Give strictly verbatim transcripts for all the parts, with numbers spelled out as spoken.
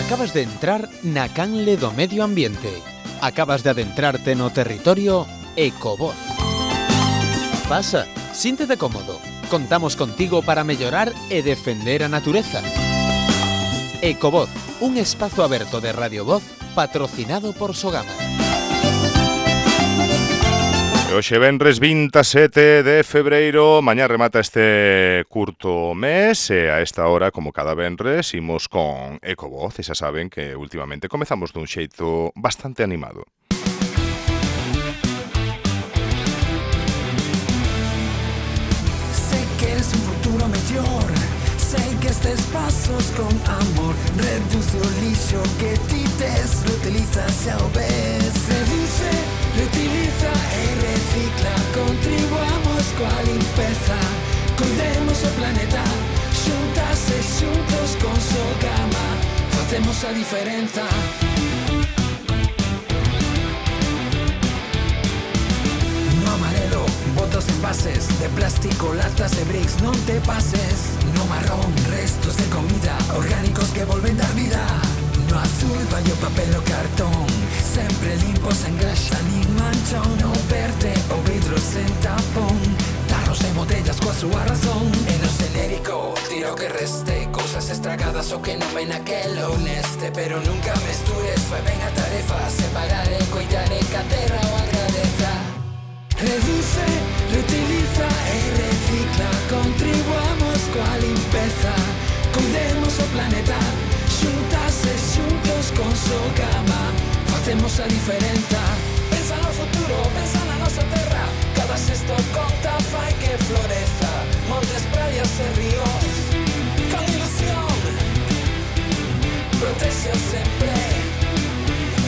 Acabas de entrar na canle do medio ambiente. Acabas de adentrarte no territorio Ecovoz. Pasa, síntete cómodo. Contamos contigo para mellorar e defender a natureza. Ecovoz, un espazo aberto de Radio Voz patrocinado por Sogama. Hoxe venres vinte e sete de febreiro, mañá remata este curto mes e a esta hora, como cada venres, imos con Ecovoz e xa saben que últimamente comezamos dun xeito bastante animado. Sé que es un futuro mellor, sé que estes pasos con amor, reduce o lixo que ti tes, reutiliza xa o ves, reduce, reutiliza e recicla, contribuamos coa limpeza, cuidemos o planeta, xuntas e xuntos con Sogama, facemos a diferenza. No amarelo, botos envases de plástico, latas e bricks, non te pases. No marrón, restos de comida, orgánicos que volven dar vida. No azul, vai o papel o cartón, sempre limpo, sen graxa nin manchón. No verde, o vidro sen tapón, tarros e botellas coa súa razón. E no xenérico, tira o que reste, cousas estragadas o que non ven aquelo neste. Pero nunca mestures, fai ben a tarefa, separar e coidar e que a terra o agradeza. Reduce, reutiliza e recicla, contribuamos coa limpeza, cuidemos o planeta, xuntas e xuntos con Sogama, facemos a diferenza. Pensa no futuro, pensa na nosa terra, cada xesto conta, fai que floreza, montes, praias e ríos, con ilusión, protexe sempre,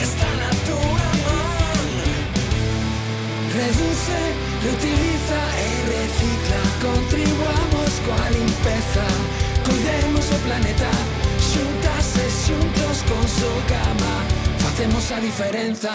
está na túa man. Reduce, reutiliza e recicla, contribuamos coa limpeza, cuidemos o planeta, xuntas e xuntos con Sogama, facemos a diferenza.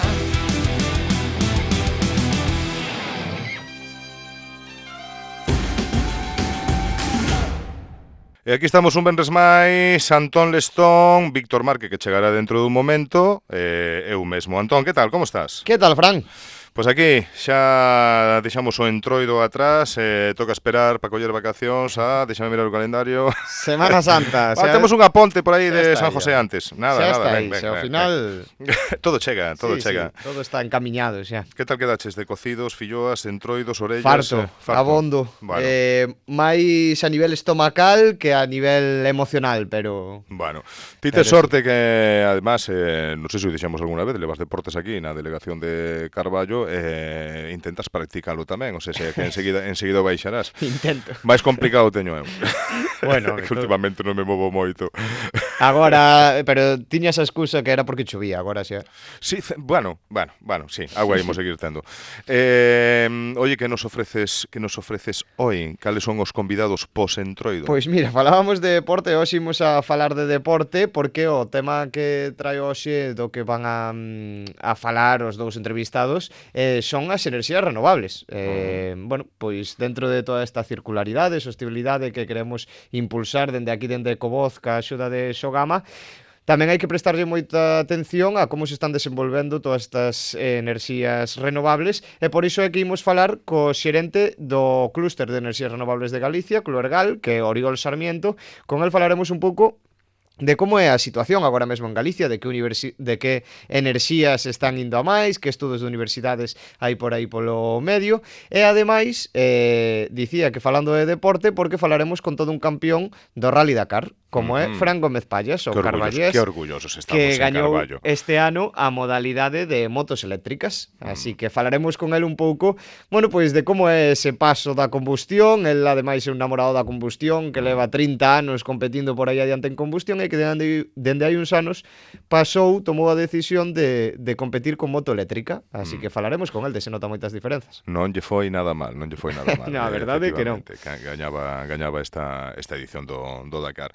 E aquí estamos un venres máis, Antón Lestón, Víctor Marque, que chegará dentro dun momento, e eu mesmo. Antón, que tal, como estás? Que tal, Fran? Pois aquí xa deixamos o entroido atrás, eh, toca esperar para coller vacacións, ah, deixame mirar o calendario. Semana Santa. Ah, temos unha ponte por aí de San aí, José ya. antes. Nada, xa nada, está ven, aí, ven, xa, ao ven, final... ven. Todo chega, todo sí, chega. Sí, todo está encaminado xa. Que tal quedaches de cocidos, filloas, entroidos, orellas? Farto, eh, farto. abondo. Bueno. Eh, máis a nivel estomacal que a nivel emocional, pero... Bueno, ti tes sorte que, además, eh, non sei se o dixemos alguna vez, levas deportes aquí na delegación de Carballo, eh, intentas practicalo tamén, ou sea, que enseguida, enseguida baixarás. Intento. Mais complicado teño eu. Bueno, que últimamente non me movo moito. Agora, pero tiña esa excusa que era porque chovía, agora xa. Sí, bueno, bueno, bueno, sí, agua imos seguir tendo. Eh, oye, que nos ofreces, que nos ofreces hoy? Cales son os convidados pos-entroido? Pois mira, falábamos de deporte, hoxe imos a falar de deporte porque o tema que trae hoxe do que van a, a falar os dous entrevistados eh, son as enerxías renovables. Eh, uh-huh. Bueno, pois dentro de toda esta circularidade, sostenibilidade que queremos impulsar dende aquí, dende Ecovoz, ca axuda de Sogama, tamén hai que prestarlle moita atención a como se están desenvolvendo todas estas eh, enerxías renovables e por iso é que imos falar co xerente do Clúster de Enerxías Renovables de Galicia, Cluergal, que é Oriol Sarmiento. Con el falaremos un pouco de como é a situación agora mesmo en Galicia, de que, universi- de que enerxías están indo a máis, que estudos de universidades hai por aí polo medio, e ademais eh, dicía que falando de deporte, porque falaremos con todo un campeón do Rally Dakar, como é Fran Gómez Pallas, o carballés, que orgullosos estamos que en gañou Carballo este ano a modalidade de motos eléctricas. Así que falaremos con el un pouco, bueno, pois de como é ese paso da combustión. El ademais é un namorado da combustión que leva trinta anos competindo por aí adiante en combustión e que dende, dende hai uns anos pasou, tomou a decisión de, de competir con moto eléctrica. Así que falaremos con el, de se nota moitas diferenzas. Non lle foi nada mal, non lle foi nada mal. Na verdade que non. Gañaba, gañaba esta, esta edición do, do Dakar.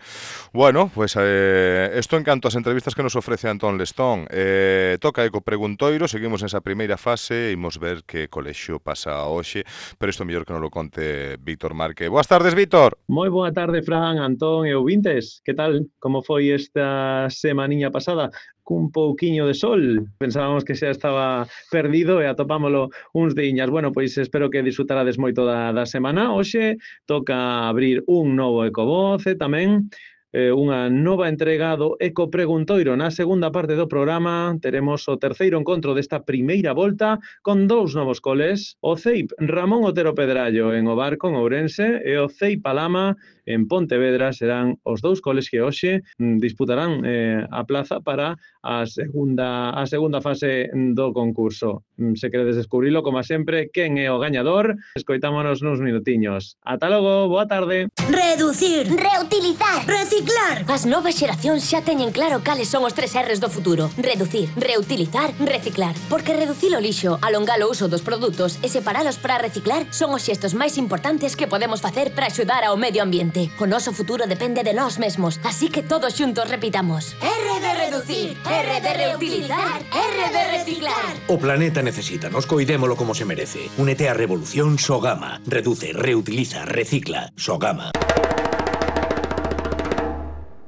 Bueno, pues eh, esto en canto ás entrevistas que nos ofrece Antón Lestón. Eh, toca eco preguntoiro, seguimos nesa primeira fase, imos ver que colexio pasa hoxe, pero isto mellor que non lo conte Víctor Marque. Boas tardes, Víctor. Moi boa tarde, Fran, Antón e ouvintes. Que tal? Como como foi esta semaniña pasada, cun pouquiño de sol. Pensábamos que xa estaba perdido e atopámolo uns diñas. Bueno, pois espero que disfrutarades moito da, da semana. Hoxe toca abrir un novo Ecovoz e tamén eh, unha nova entrega do Eco Preguntoiro. Na segunda parte do programa teremos o terceiro encontro desta primeira volta con dous novos coles, o C E I P Ramón Otero Pedrallo en O Barco, en Ourense, e o C E I P Alama en Pontevedra. Serán os dous coles que hoxe mm, disputarán eh, a plaza para a segunda, a segunda fase do concurso. Mm, Se queredes descubrilo, como sempre, quen é o gañador, escoitámonos nuns minutiños. Ata logo, boa tarde. Reducir, reutilizar, reciclar. As novas xeracións xa teñen claro cales son os tres R's do futuro. Reducir, reutilizar, reciclar. Porque reducir o lixo, alongar o uso dos produtos e separalos para reciclar son os xestos máis importantes que podemos facer para axudar ao medio ambiente. O noso futuro depende de nós mesmos, así que todos xuntos repitamos. R de reducir, R de reutilizar, R de reciclar. O planeta necesita, nos coidémolo como se merece. Únete á revolución Sogama. Reduce, reutiliza, recicla. Sogama.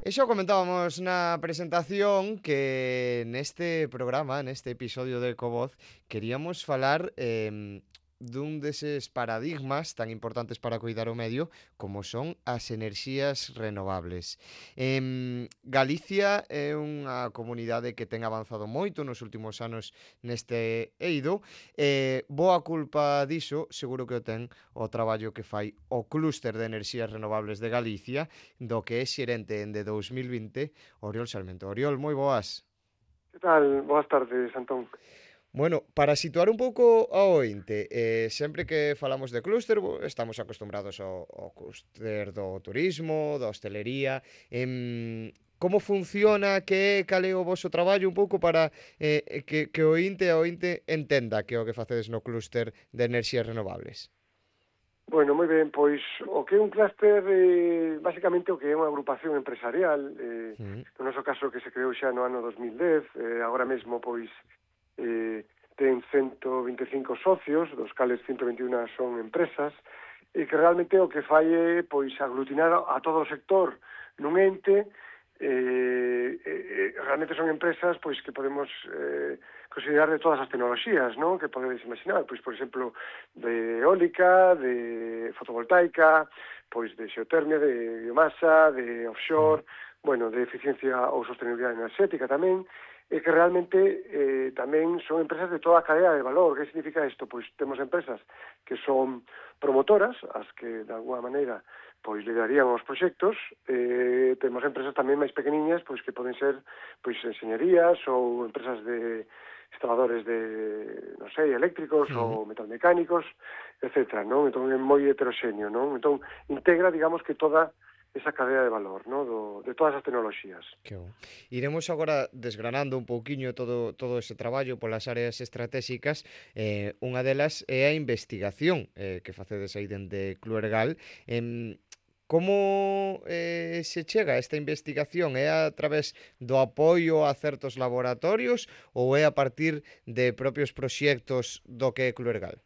E xa comentábamos na presentación que neste programa, neste episodio de Ecovoz, queríamos falar eh, dun deses paradigmas tan importantes para cuidar o medio como son as enerxías renovables. Eh, Galicia é unha comunidade que ten avanzado moito nos últimos anos neste eido e boa culpa diso seguro que o ten o traballo que fai o Clúster de Enerxías Renovables de Galicia, do que é xerente en de dous mil vinte, Oriol Sarmento. Oriol, moi boas. Que tal? Boas tardes, Antón. Bueno, para situar un pouco ao ointe, eh, sempre que falamos de clúster, estamos acostumbrados ao, ao clúster do turismo, da hostelería. Eh, como funciona, que cal é o voso traballo un pouco para eh, que, que o ointe a ointe entenda que é o que facedes no clúster de enerxías renovables? Bueno, moi ben, pois o que é un clúster, eh, basicamente o que é unha agrupación empresarial, eh, mm. no noso caso que se creou xa no ano dos mil dez, eh, agora mesmo pois eh, ten ciento vinte e cinco socios, dos cales ciento vinte e un son empresas, e que realmente o que fai é pois aglutinar a todo o sector nun ente. Eh, eh, realmente son empresas pois que podemos eh, considerar de todas as tecnoloxías, non? Que podedes imaginar, pois por exemplo de eólica, de fotovoltaica, pois de xeotermia, de biomasa, de offshore, bueno, de eficiencia ou sostenibilidade enerxética tamén, e que realmente eh, tamén son empresas de toda a cadea de valor. Que significa isto? Pois temos empresas que son promotoras, as que de alguna maneira pois liderarían os proxectos, eh, temos empresas tamén máis pequeniñas, pois que poden ser pois enxeñerías ou empresas de instaladores de, non sei, eléctricos uh-huh. ou metalmecánicos, etcétera, non? Entón é moi heteroxéneo, non? Entón integra, digamos, que toda esa cadea de valor, ¿no? Do, de todas as tecnoloxías. Que bon. Iremos agora desgranando un pouquiño todo, todo ese traballo polas áreas estratégicas. Eh, unha delas é a investigación eh, que facedes aí dende Cluergal. Eh, como eh, se chega a esta investigación? É a través do apoio a certos laboratorios ou é a partir de propios proxectos do que é Cluergal?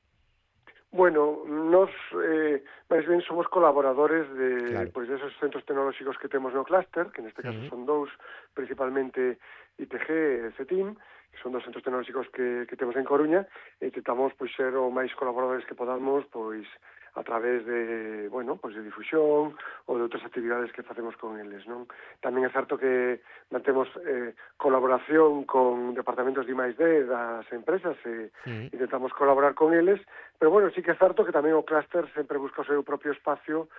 Bueno, nos eh, máis ben somos colaboradores de claro. pois de esos centros tecnolóxicos que temos no clúster, que neste caso uh-huh. son dous, principalmente I T G e CETIM, que son dos centros tecnolóxicos que, que temos en Coruña, e intentamos pois ser o máis colaboradores que podamos, pois a través de, bueno, pois de difusión ou de outras actividades que facemos con eles, non? Tamén é certo que mantemos eh, colaboración con departamentos de I máis D das empresas e sí. intentamos colaborar con eles, pero bueno, sí que é certo que tamén o clúster sempre busca o seu propio espacio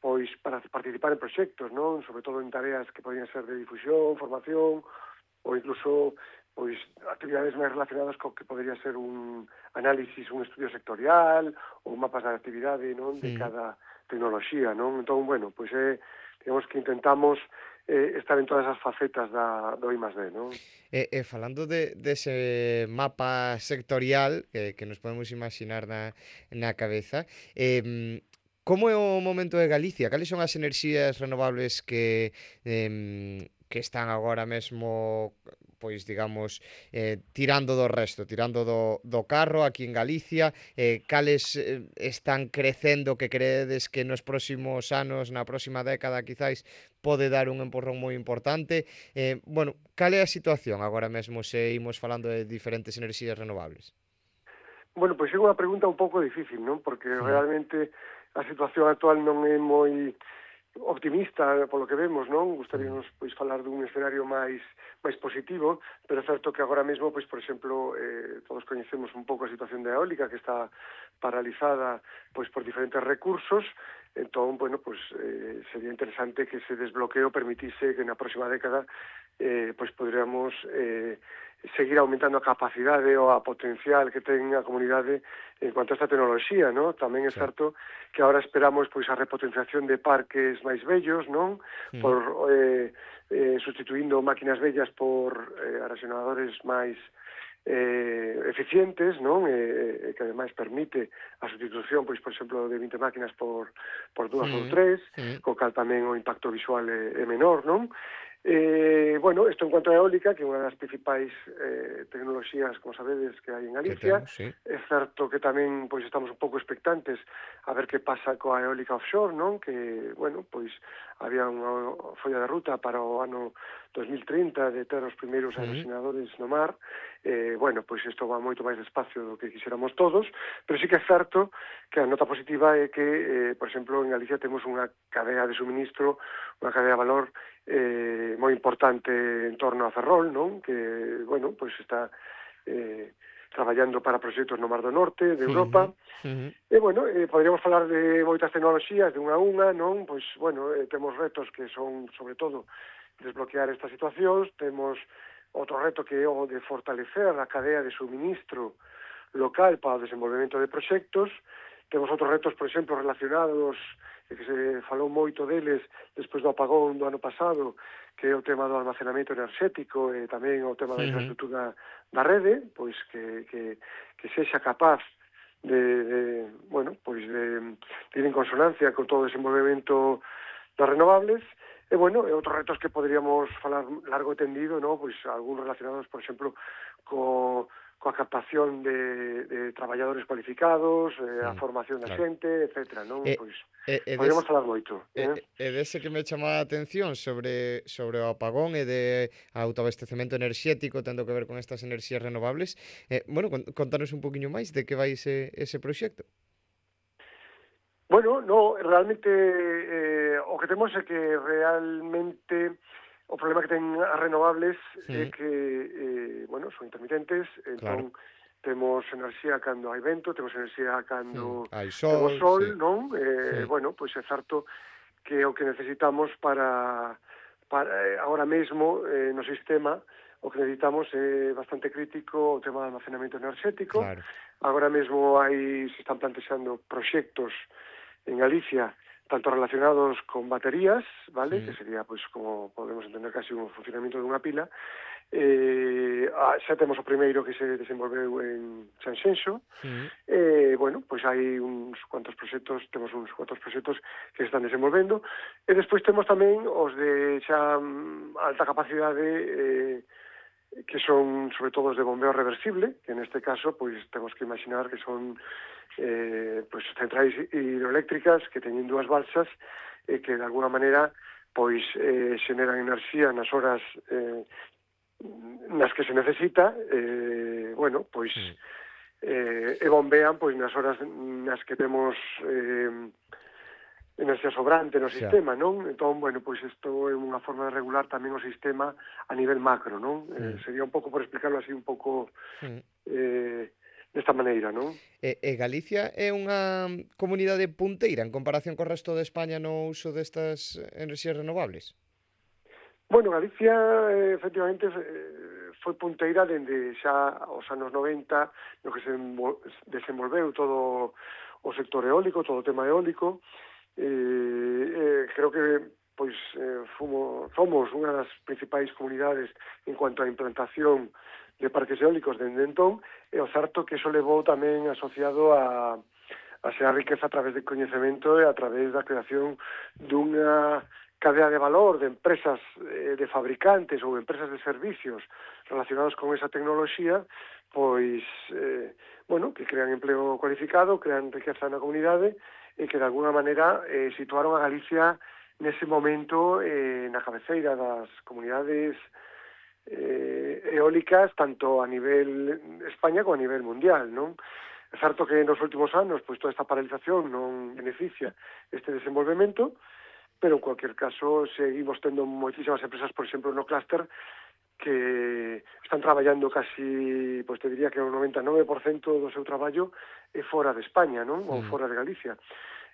pois para participar en proxectos, non? Sobre todo en tareas que podían ser de difusión, formación ou incluso pois actividades máis relacionadas co que podría ser un análisis, un estudio sectorial ou mapas de actividade, non, de sí. cada tecnoloxía, non? Entón, bueno, pois é, digamos que intentamos eh, estar en todas as facetas da, do I máis D, non? E, e falando de, dese mapa sectorial que, que nos podemos imaginar na, na cabeza, eh, como é o momento de Galicia? Cales son as enerxías renovables que... Eh, que están agora mesmo, pois digamos, eh, tirando do resto, tirando do, do carro aquí en Galicia, eh, cales eh, están crecendo que credes que nos próximos anos, na próxima década quizáis, pode dar un empurrón moi importante. Eh, bueno, cal é a situación agora mesmo se imos falando de diferentes enerxías renovables? Bueno, pois é unha pregunta un pouco difícil, non? Porque Sí. realmente a situación actual non é moi optimista polo que vemos, non? Gustaríamos pois falar dun escenario máis máis positivo, pero é certo que agora mesmo, pois por exemplo, eh, todos coñecemos un pouco a situación da eólica que está paralizada pois por diferentes recursos. Entón, bueno, pois eh, sería interesante que ese desbloqueo permitise que na próxima década eh, pois poderíamos eh, seguir aumentando a capacidade ou a potencial que ten a comunidade en cuanto a esta tecnoloxía, non? Tamén é Sí. certo que agora esperamos pois a repotenciación de parques máis vellos, non? Mm. Por eh, eh, sustituindo máquinas vellas por eh, aerogeneradores máis eh, eficientes, non? E, e que ademais permite a sustitución, pois, por exemplo, de vinte máquinas por, por dúas Mm. ou tres, Mm. co cal tamén o impacto visual é, é menor, non? Eh, bueno, isto en cuanto a eólica, que é unha das principais eh, tecnoloxías, como sabedes, que hai en Que Galicia. temos, sí. É certo que tamén pois estamos un pouco expectantes a ver que pasa coa eólica offshore, non? Que, bueno, pois había unha folla de ruta para o ano dos mil trinta de ter os primeiros Sí. aerogeneradores no mar. Eh, bueno, pois isto va moito máis despacio do que quixéramos todos, pero sí que é certo que a nota positiva é que, eh, por exemplo, en Galicia temos unha cadea de suministro, unha cadea de valor eh, moi importante en torno a Ferrol, non? Que, bueno, pois está eh, traballando para proxectos no Mar do Norte, de Europa. Ujú. E, bueno, eh, poderíamos falar de moitas tecnoloxías, de unha a unha, non? Pois, bueno, eh, temos retos que son, sobre todo, desbloquear estas situacións, temos outro reto que é o de fortalecer a cadea de suministro local para o desenvolvemento de proxectos, temos outros retos, por exemplo, relacionados, e que se falou moito deles despois do apagón do ano pasado, que é o tema do almacenamento enerxético e tamén o tema da Ujú. infraestructura da rede, pois que, que, que sexa capaz de, de bueno, pois de, de ir en consonancia con todo o desenvolvemento das renovables. E, bueno, e outros retos que poderíamos falar largo e tendido, no? Pois algúns relacionados, por exemplo, co, coa captación de, de traballadores cualificados, eh, a Mm, formación da claro. xente, etcétera, non? E- Pois E, e, poderíamos des, falar moito. e, Eh? e dese que me chamaba a atención sobre, sobre o apagón e de autoabastecemento enerxético tendo que ver con estas enerxías renovables, eh, bueno, con- contanos un poquinho máis de que vai ese, ese proxecto. Bueno, no, realmente eh, o que temos é que realmente o problema que ten as renovables é Mm. que, eh, bueno, son intermitentes, Claro. entón temos enerxía cando hai vento, temos enerxía cando Mm. Hai temos sol, sol, sí. non? Eh, Mm. Bueno, pois é certo que é o que necesitamos para, para eh, ahora mesmo eh, no sistema, o que necesitamos é bastante crítico o tema do almacenamento enerxético. Claro. Agora mesmo hai, se están plantexando proxectos en Galicia, tanto relacionados con baterías, vale, Sí. que sería, pois, como podemos entender casi un funcionamento dunha pila. Eh, ah, xa temos o primeiro que se desenvolveu en Sanxenxo. Mm. Eh, bueno, pois hai uns cuantos proxectos, temos uns cuantos proxectos que se están desenvolvendo. E despois temos tamén os de xa mm, alta capacidade, eh, que son sobre todo os de bombeo reversible, que neste caso pois temos que imaginar que son eh, pois centrais hidroeléctricas que teñen dúas balsas e que de alguna maneira pois eh, xeneran enerxía nas horas eh, nas que se necesita, eh, bueno, pois Mm. eh, e bombean pois nas horas nas que temos eh, enerxía sobrante no Xa. sistema, non? Entón, bueno, pois isto é unha forma de regular tamén o sistema a nivel macro, non? Eh, Mm. sería un pouco, por explicarlo así, un pouco Mm. eh, desta maneira, non? E, e Galicia é unha comunidade punteira en comparación co resto de España no uso destas enerxías renovables? Bueno, Galicia, eh, efectivamente, eh, foi punteira dende xa os anos noventa, no que se envol- desenvolveu todo o sector eólico, todo o tema eólico. Eh, eh, creo que pois eh, fumo, somos unha das principais comunidades en cuanto á implantación de parques eólicos dende entón, e o certo que iso levou tamén asociado a, a ser a riqueza a través de coñecemento e a través da creación dunha cadea de valor de empresas eh, de fabricantes ou empresas de servicios relacionados con esa tecnoloxía, pois, eh, bueno, que crean empleo cualificado, crean riqueza na comunidade e que de alguna maneira eh, situaron a Galicia nese momento eh, na cabeceira das comunidades eh, eólicas tanto a nivel España como a nivel mundial, non? É certo que nos últimos anos pois toda esta paralización non beneficia este desenvolvemento, pero en cualquier caso seguimos tendo moitísimas empresas, por exemplo, no clúster que están traballando casi, pois te diría que o noventa e nove por cento do seu traballo é fora de España, non? Ou fora de Galicia.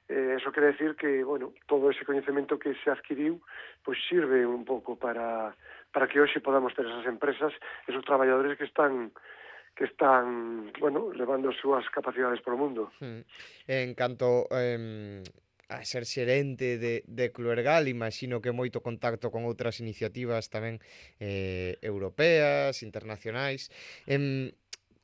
Eh, eso quere decir que, bueno, todo ese coñecemento que se adquiriu, pois sirve un pouco para, para que hoxe podamos ter esas empresas, esos traballadores que están que están, bueno, levando as súas capacidades por o mundo. Mm. En canto eh, a ser xerente de, de Cluergal, imagino que moito contacto con outras iniciativas tamén eh, europeas, internacionais. Eh,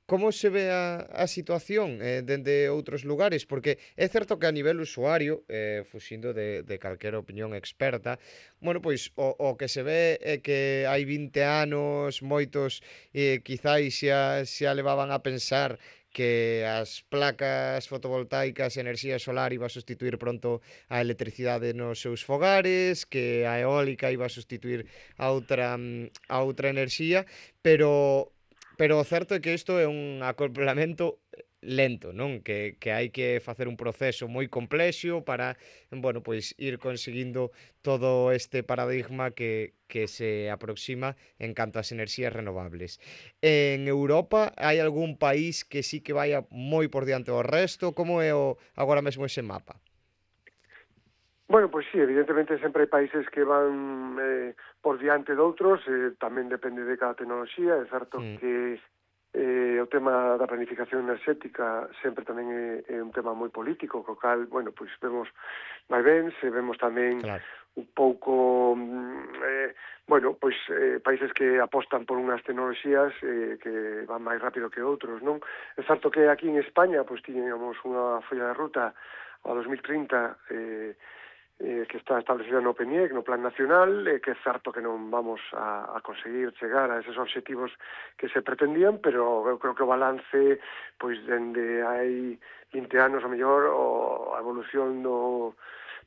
Como se ve a, a situación eh, dende outros lugares? Porque é certo que a nivel usuario, eh, fuxindo de, de calquera opinión experta, bueno, pois o, o que se ve é que hai vinte anos moitos eh, quizáis xa, xa levaban a pensar que as placas fotovoltaicas e enerxía solar iba a sustituir pronto a electricidade nos seus fogares, que a eólica iba a sustituir a outra, a outra enerxía, pero pero o certo é que isto é un acoplamento lento, non? Que, que hai que facer un proceso moi complexo para, bueno, pois ir conseguindo todo este paradigma que, que se aproxima en canto ás enerxías renovables. En Europa hai algún país que sí que vaya moi por diante do resto? Como é o, agora mesmo ese mapa? Bueno, pois sí, evidentemente sempre hai países que van eh, por diante de outros, eh, tamén depende de cada tecnoloxía, é certo mm. que eh, o tema da planificación enerxética sempre tamén é, é un tema moi político, co cal, bueno, pois vemos vai ben, se vemos tamén claro. un pouco, eh, bueno, pois eh, países que apostan por unhas tecnoloxías eh, que van máis rápido que outros, non? É certo que aquí en España, pois tiñamos unha folla de ruta ao dos mil trinta, eh, eh, que está establecida no PENIEC, no Plan Nacional, eh, que é certo que non vamos a, a conseguir chegar a esos obxectivos que se pretendían, pero eu creo que o balance, pois, dende hai vinte anos, a mellor, o, a evolución do,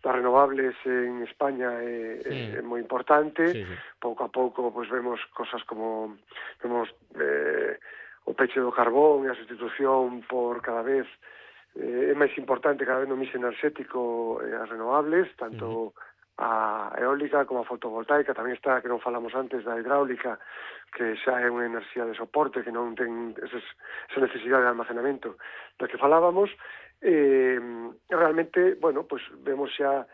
das renovables en España é, sí. é, é moi importante. Sí, sí. Pouco a pouco, pois, vemos cosas como, vemos eh, o peche do carbón e a sustitución por cada vez Eh, é máis importante cada vez no mix enerxético eh, as renovables, tanto uh-huh. a eólica como a fotovoltaica. Tamén está, que non falamos antes, da hidráulica, que xa é unha enerxía de soporte, que non ten eses, esa necesidade de almacenamento da que falábamos. Eh, realmente, bueno, pues vemos xa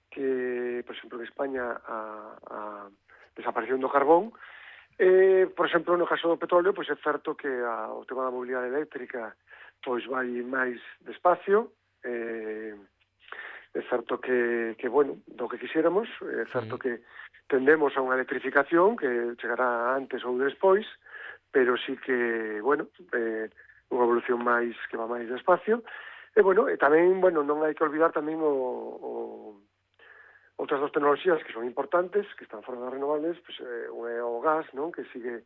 que, por exemplo, en España a, a desaparición do carbón. Eh, por exemplo, no caso do petróleo, pois é certo que a, o tema da mobilidade eléctrica pois vai máis despacio, eh, é certo que, que, bueno, do que quixéramos, é certo que tendemos a unha electrificación que chegará antes ou despois, pero sí que, bueno, eh, unha evolución máis que va máis despacio, e, bueno, e tamén, bueno, non hai que olvidar tamén o, o outras dos tecnoloxías que son importantes, que están fora das renovables, pues, eh, o é o gas, non?, que sigue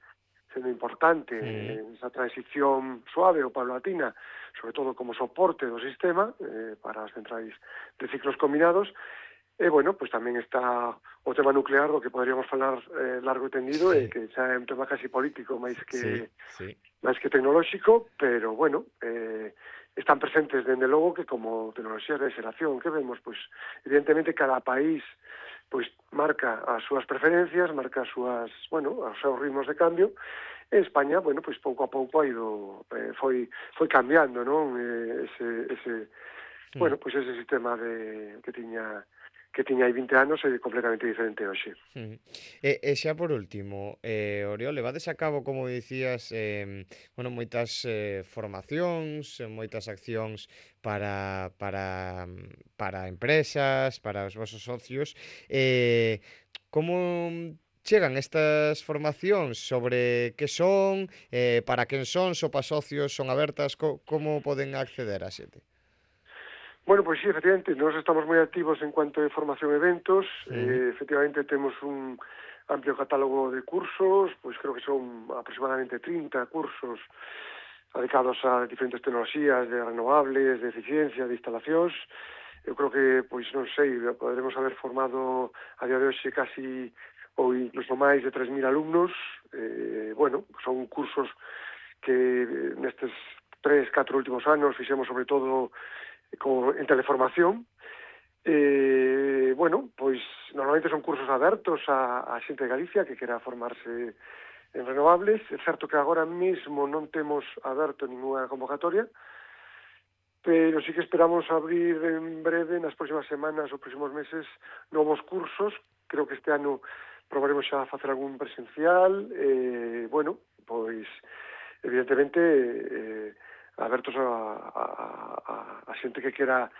sendo importante mm. en esa transición suave ou paulatina, sobre todo como soporte do sistema eh, para as centrais de ciclos combinados. E, bueno, pues tamén está o tema nuclear, do que poderíamos falar eh, largo e tendido, sí. e que xa é un tema casi político, máis que sí, sí. máis que tecnolóxico, pero, bueno, eh, están presentes, dende logo, que como tecnoloxías de xeración que vemos, pues, evidentemente, cada país pois marca as súas preferencias, marca as súas, bueno, os seus ritmos de cambio. En España, bueno, pois pouco a pouco ha ido, eh, foi foi cambiando, non? Eh, ese ese mm. bueno, pois ese sistema de que tiña que tiña hai vinte anos é completamente diferente hoxe. Mm. E, e xa por último, eh, Oriol, levades a cabo, como dicías, eh, bueno, moitas eh, formacións, moitas accións para, para, para empresas, para os vosos socios. Eh, como chegan estas formacións? Sobre que son, eh, para quen son, sopa socios, son abertas, co, como poden acceder a xente? Bueno, pois sí, efectivamente, nós estamos moi activos en cuanto a formación e eventos, sí. eh, efectivamente temos un amplio catálogo de cursos, pois creo que son aproximadamente trinta cursos dedicados a diferentes tecnoloxías de renovables, de eficiencia, de instalacións. Eu creo que, pois non sei, poderemos haber formado a día de hoxe casi ou incluso máis de tres mil alumnos. Eh, bueno, son cursos que nestes tres, catro últimos anos fixemos sobre todo con, en teleformación. Eh, bueno, pois normalmente son cursos abertos a, a xente de Galicia que quera formarse en renovables. É certo que agora mesmo non temos aberto ninguna convocatoria, pero sí que esperamos abrir en breve, nas próximas semanas ou próximos meses, novos cursos. Creo que este ano probaremos xa a facer algún presencial. Eh, bueno, pois, evidentemente, eh, abertos a, a, a, a xente que quera,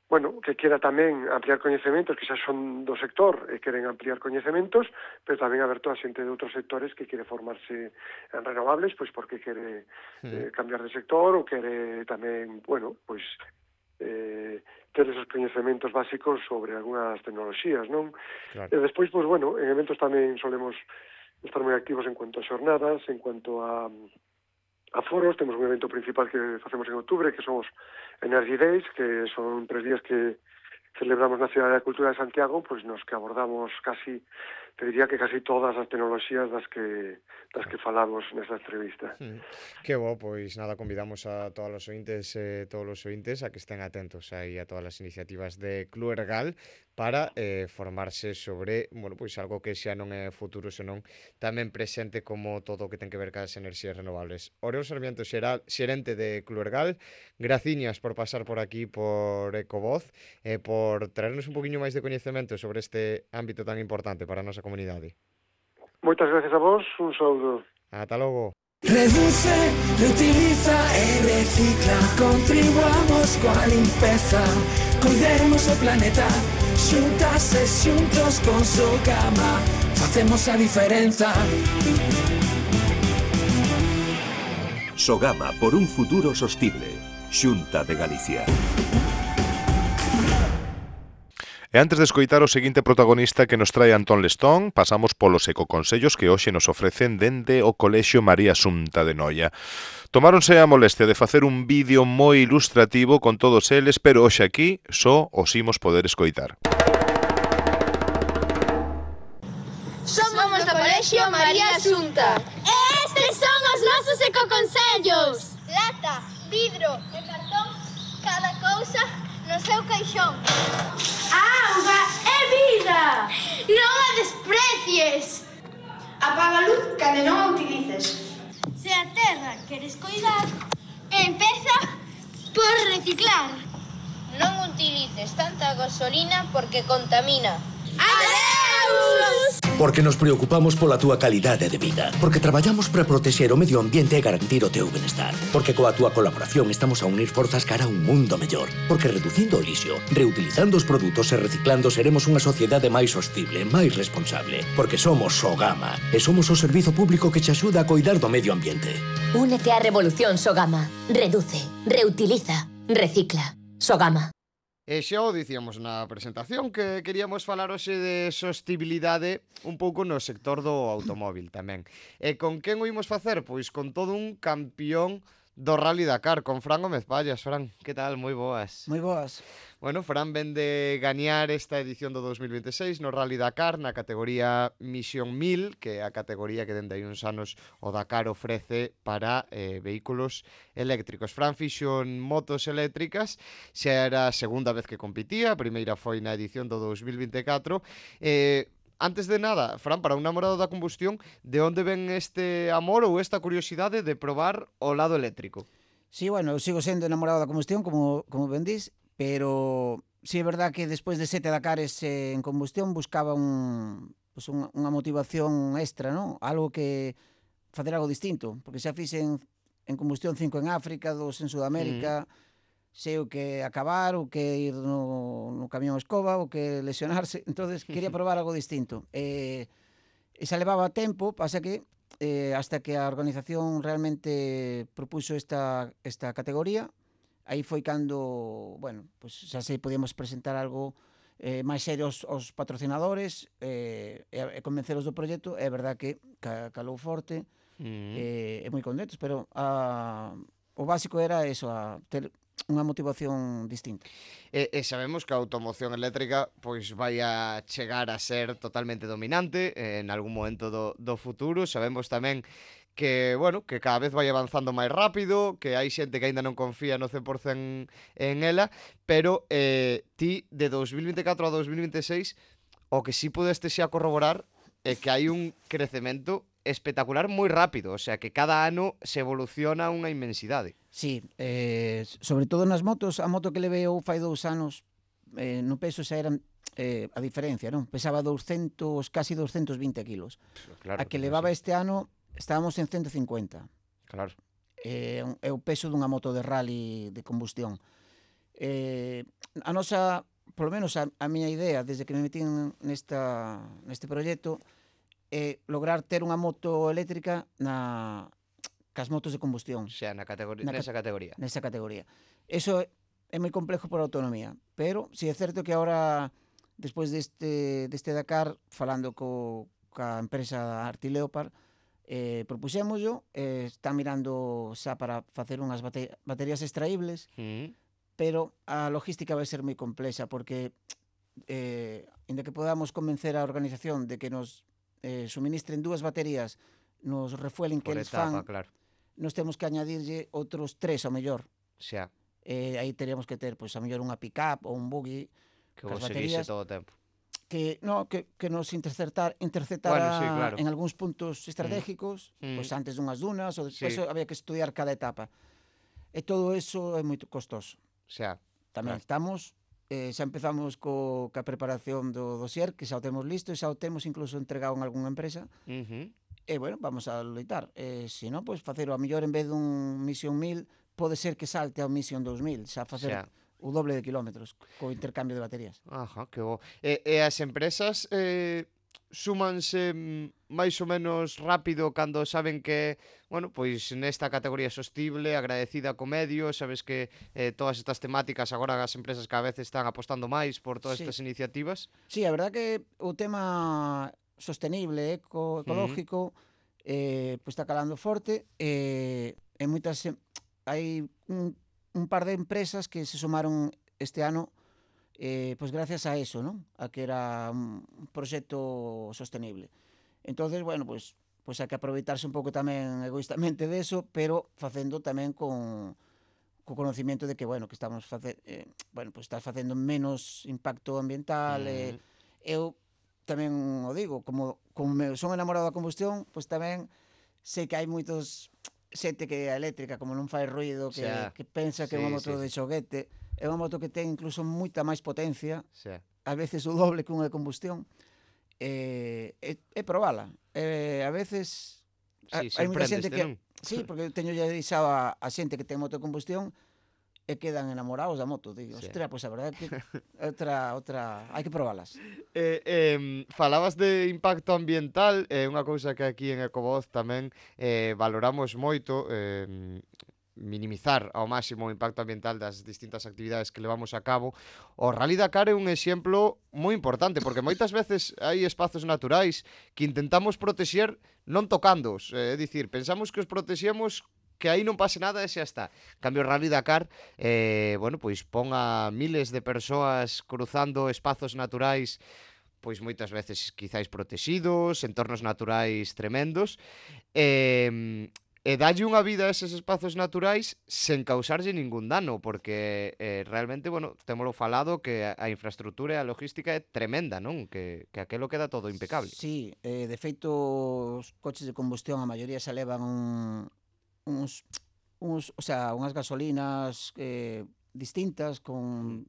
bueno, que quera tamén ampliar coñecementos, que xa son do sector e queren ampliar coñecementos, pero tamén aberto a xente de outros sectores que quere formarse en renovables, pois porque quere eh, cambiar de sector ou quere tamén, bueno, pois eh, ter esos coñecementos básicos sobre algunhas tecnoloxías, non? Claro. E despois, pois, bueno, en eventos tamén solemos estar moi activos en cuanto a xornadas, en cuanto a a foros. Temos un evento principal que facemos en outubro, que son os Energy Days, que son tres días que celebramos na Cidade da Cultura de Santiago, pois nos que abordamos casi, te diría que casi todas as tecnoloxías das que das que falamos nesta entrevista. Mm. Que bo, pois nada, convidamos a todos os ointes, eh, todos os ointes a que estén atentos aí a todas as iniciativas de Cluergal para eh, formarse sobre, bueno, pois algo que xa non é futuro, senón tamén presente, como todo o que ten que ver cas enerxías renovables. Oriol Sarmiento, xeral, xerente de Cluergal, graciñas por pasar por aquí por Ecovoz e eh, por traernos un poquinho máis de coñecemento sobre este ámbito tan importante para a nosa comunidade. Moitas gracias a vos, un saúdo. Ata logo. Reduce, reutiliza e recicla. Contribuamos coa limpeza, cuidemos o planeta. Xuntas e xuntos con Sogama facemos a diferenza. Sogama, por un futuro sostible. Xunta de Galicia. E antes de escoitar o seguinte protagonista que nos trae Antón Lestón, pasamos polos ecoconsellos que hoxe nos ofrecen dende o Colexio María Xunta de Noia. Tomáronse a molestia de facer un vídeo moi ilustrativo con todos eles, pero hoxe aquí só os imos poder escoitar. Somos do Colexio María Xunta. E estes son os nosos ecoconsellos. Lata, vidro e cartón, cada cousa no seu caixón. Auga e vida! Non a desprecies. Apaga a luz cando non a utilices. Se a terra queres coidar, empeza por reciclar. Non utilices tanta gasolina porque contamina. Adeus! Porque nos preocupamos pola túa calidade de vida. Porque traballamos para protexer o medio ambiente e garantir o teu benestar. Porque coa túa colaboración estamos a unir forzas cara a un mundo mellor. Porque reducindo o lixo, reutilizando os produtos e reciclando seremos unha sociedade máis sostible, máis responsable. Porque somos Sogama e somos o servizo público que te axuda a coidar do medio ambiente. Únete á revolución Sogama. Reduce, reutiliza, recicla. Sogama. E xa o dicíamos na presentación que queríamos falar hoxe de sostibilidade un pouco no sector do automóvil tamén. E con quen o imos facer? Pois con todo un campión do Rally Dakar, con Fran Gómez Pallas. Fran, que tal? Moi boas. Moi boas. Bueno, Fran ven de gañar esta edición do dos mil vinte e seis no Rally Dakar na categoría Misión mil, que é a categoría que dende hai uns anos o Dakar ofrece para eh, vehículos eléctricos. Fran fixo en motos eléctricas, xa era a segunda vez que compitía, a primeira foi na edición do dos mil vinte e catro. Eh, Antes de nada, Fran, para un namorado da combustión, de onde ven este amor ou esta curiosidade de probar o lado eléctrico? Sí, bueno, eu sigo sendo enamorado da combustión, como, como ben dís, pero sí é verdad que despois de sete Dakares eh, en combustión buscaba un, pues un, unha motivación extra, non? Algo que facer algo distinto, porque xa fixen en combustión cinco en África, dos en Sudamérica, mm. sei o que acabar, o que ir no, no camión escoba, o que lesionarse, entonces quería probar algo distinto. E, e xa levaba tempo, pasa que eh, hasta que a organización realmente propuso esta, esta categoría, aí foi cando, bueno, pues xa se podíamos presentar algo eh, máis serio aos, aos patrocinadores eh, e, e convenceros do proxecto. É verdad que ca, calou forte mm. eh, e moi contentos, pero a, o básico era eso, a ter unha motivación distinta. E, e sabemos que a automoción eléctrica pois vai a chegar a ser totalmente dominante eh, en algún momento do, do futuro. Sabemos tamén que, bueno, que cada vez vai avanzando máis rápido, que hai xente que aínda non confía no cen por cen en ela, pero eh, ti de dos mil vinte e catro a dos mil vinte e seis o que sí pudeste xa corroborar é que hai un crecemento espectacular moi rápido, o sea que cada ano se evoluciona unha inmensidade. Sí, eh, sobre todo nas motos, a moto que levei eu fai dous anos, eh, no peso xa eran eh, a diferencia, non? Pesaba doscientos, casi doscientos vinte kilos. Claro, a que levaba sí. Este ano estábamos en ciento cincuenta. Claro. É, é o peso dunha moto de rally de combustión. Eh, a nosa, polo menos a, a miña idea, desde que me metí nesta, neste proxecto, é lograr ter unha moto eléctrica na cas motos de combustión. O sea, na categoría, na nesa categoría. Nesa categoría. Eso é, é moi complejo por autonomía, pero si é certo que agora, despois deste, deste Dakar, falando co, ca empresa Arti Leopard, eh, propuxémoslo, eh, está mirando xa para facer unhas bate baterías extraíbles, mm. pero a logística vai ser moi complexa, porque eh, inda que podamos convencer a organización de que nos eh, suministren dúas baterías, nos refuelen que eles fan, claro. Nos temos que añadirlle outros tres ao mellor. Xa. Eh, aí teríamos que ter, pois, a mellor unha pick-up ou un buggy que vos seguise todo o tempo. Que, no, que, que nos interceptar, interceptara bueno, sí, claro. En algúns puntos estratégicos, mm. pois antes dunhas dunas, ou despois sí. Había que estudiar cada etapa. E todo eso é moi costoso. Xa. Tamén claro. Estamos, eh, xa empezamos co, ca preparación do dossier, que xa o temos listo, e xa o temos incluso entregado en algunha empresa. Uh -huh. E, bueno, vamos a loitar. E, se non, pois, facer o a mellor en vez dun Mission mil, pode ser que salte ao Mission dous mil, xa facer xa. O doble de kilómetros, co intercambio de baterías. Ajá, que bo. E, e as empresas eh, súmanse máis ou menos rápido cando saben que, bueno, pois nesta categoría sostible, agradecida co medio, sabes que eh, todas estas temáticas agora as empresas cada vez están apostando máis por todas sí. Estas iniciativas? Sí, a verdad que o tema sostenible, eco, ecológico, uh-huh. eh, pois está calando forte, e eh, en moitas hai un, un par de empresas que se sumaron este ano eh, pois gracias a eso, non? A que era un proxecto sostenible. Entonces, bueno, pois pois hai que aproveitarse un pouco tamén egoístamente de eso, pero facendo tamén con co conocimiento de que, bueno, que estamos face, eh, bueno, pois estás facendo menos impacto ambiental, uh-huh. eh, eu tamén o digo, como, como me son enamorado da combustión, pois tamén sei que hai moitos xente que é eléctrica, como non fai ruido, que, xa, que pensa que é unha moto sí, de xoguete, é unha moto que ten incluso moita máis potencia, xa. A veces o doble que unha de combustión, e, e, e probala. E, a veces sí, hai moita xente que... Non? Sí, porque teño ya deixado a, a xente que ten moto de combustión e quedan enamorados da moto, digo, sí. Ostras, pois pues a verdade que outra, outra, hai que probalas. Eh, eh, falabas de impacto ambiental, é eh, unha cousa que aquí en Ecovoz tamén eh, valoramos moito, eh, minimizar ao máximo o impacto ambiental das distintas actividades que levamos a cabo. O Rally Dakar é un exemplo moi importante, porque moitas veces hai espazos naturais que intentamos protexer non tocándoos, é dicir, pensamos que os protexemos que aí non pase nada e xa está. Cambio, o Rally Dakar, eh, bueno, pois pon a miles de persoas cruzando espazos naturais, pois moitas veces quizáis protegidos, entornos naturais tremendos, e, e dalle unha vida a eses espazos naturais sen causarlle ningún dano, porque eh, realmente, bueno, témolo falado que a, a infraestructura e a logística é tremenda, non? Que, que aquelo queda todo impecable. Sí, eh, de feito, os coches de combustión, a maioría se levan un uns, uns, o sea, unhas gasolinas eh, distintas con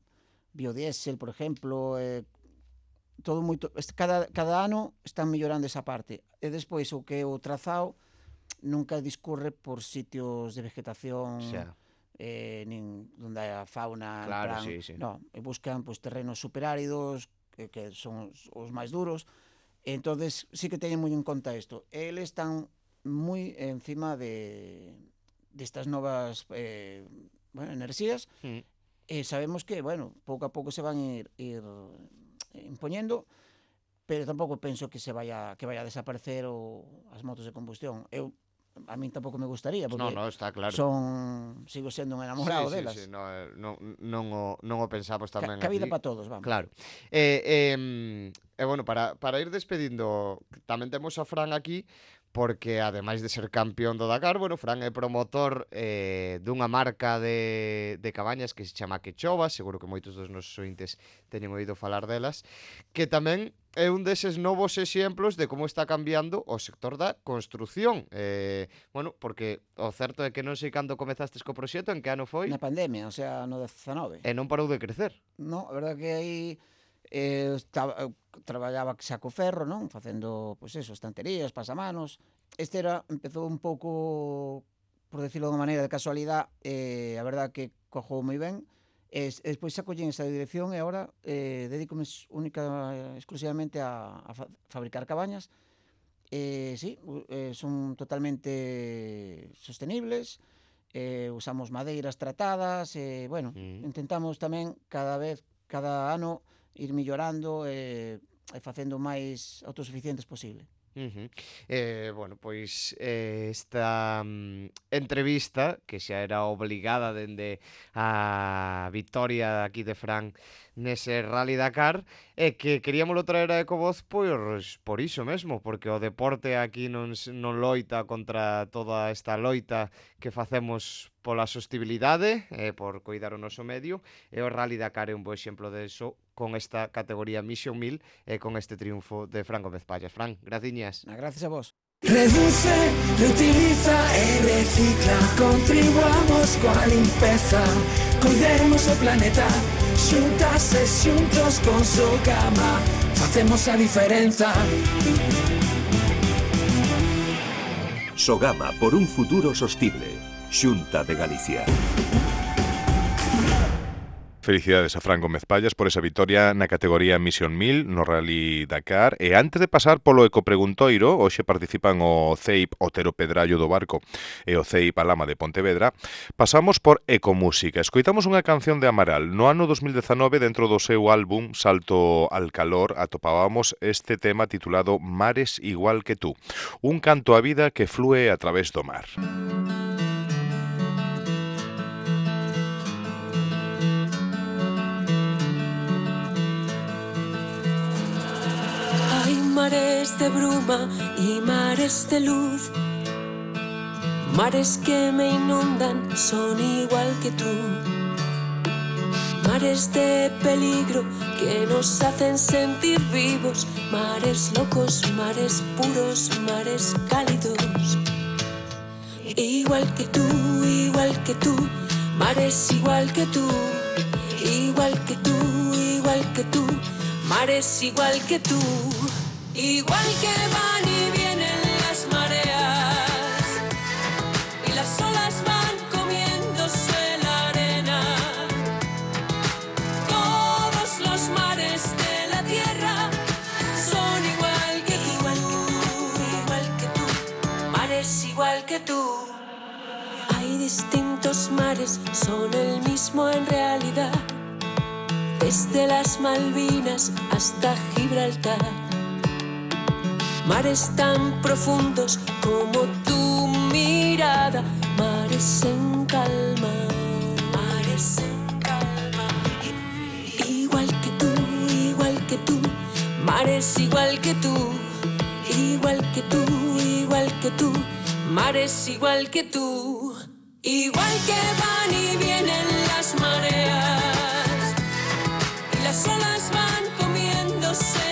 biodiesel, por exemplo, eh, todo moito, cada, cada ano están mellorando esa parte. E despois o que o trazado nunca discurre por sitios de vegetación, eh, nin onde hai a fauna, claro, plan, sí, sí. No, e buscan pues, terrenos superáridos que, que son os, os máis duros. E entonces sí que teñen moi en conta isto. Eles están moi encima de destas novas eh, bueno, enerxías, Mm. e sabemos que, bueno, pouco a pouco se van ir, ir impoñendo, pero tampouco penso que se vaya que vaya a desaparecer o as motos de combustión. Eu a min tampouco me gustaría, porque No, no, está claro. son sigo sendo un enamorado sí, delas. Sí, sí, no, eh, non, non, o, non o pensamos tamén Ca, cabida aquí. para todos, vamos. Claro. E, eh, eh, eh, bueno, para, para ir despedindo, tamén temos a Fran aquí, porque ademais de ser campeón do Dakar, bueno, Fran é promotor eh, dunha marca de, de cabañas que se chama Quechova, seguro que moitos dos nosos ointes teñen oído falar delas, que tamén é un deses novos exemplos de como está cambiando o sector da construción. Eh, bueno, porque o certo é que non sei cando comezastes co proxecto, en que ano foi? Na pandemia, o sea, no dezanove. E non parou de crecer. No, a verdade que aí eh, estaba, eu traballaba xa co ferro, non? Facendo, pois eso, estanterías, pasamanos. Este era, empezou un pouco, por decirlo de unha maneira, de casualidade, eh, a verdade que cojou moi ben. E despois xa collín esa dirección e agora eh, dedícome única exclusivamente a, a fa fabricar cabañas. Eh, sí, eh, son totalmente sostenibles, eh, usamos madeiras tratadas, e, eh, bueno, mm. intentamos tamén cada vez, cada ano, ir millorando e eh, facendo máis autosuficientes posible. Uh-huh. eh, bueno, pois eh, esta um, entrevista, que xa era obligada dende a victoria aquí de Fran nese Rally Dakar, é que queríamolo traer a Ecovoz pois, por iso mesmo, porque o deporte aquí non, non loita contra toda esta loita que facemos pola sostibilidade, eh, por coidar o noso medio, e o Rally Dakar é un bo exemplo de iso, con esta categoría Mission mil e con este triunfo de Fran Gómez Pallas. Fran, graciñas. Gracias a vos. Reduce, reutiliza e recicla. Contribuamos coa limpeza, cuidemos o planeta. Xuntas e xuntos con Sogama facemos a diferenza. Sogama, por un futuro sostible. Xunta de Galicia. Felicidades a Fran Gómez Pallas por esa vitoria na categoría Mission mil no Rally Dakar. E antes de pasar polo Ecopreguntoiro, hoxe participan o C E I P Otero Pedrallo do Barco e o C E I P Alama de Pontevedra, pasamos por Ecomúsica. Escoitamos unha canción de Amaral. No ano dos mil dezanove, dentro do seu álbum Salto al Calor, atopábamos este tema titulado Mares igual que tú, un canto á vida que flúe a través do mar. Mares de bruma y mares de luz, mares que me inundan, son igual que tú. Mares de peligro que nos hacen sentir vivos, mares locos, mares puros, mares cálidos. Igual que tú, igual que tú, mares igual que tú, igual que tú, igual que tú, mares igual que tú. Igual que van y vienen las mareas y las olas van comiéndose la arena. Todos los mares de la tierra son igual que tú, igual que tú, mares igual que tú. Hay distintos mares, son el mismo en realidad, desde las Malvinas hasta Gibraltar. Mares tan profundos como tu mirada, mares en calma, mares en calma. Igual que tú, igual que tú, mares igual que tú, igual que tú, igual que tú, mares igual que tú. Igual que van y vienen las mareas y las olas van comiéndose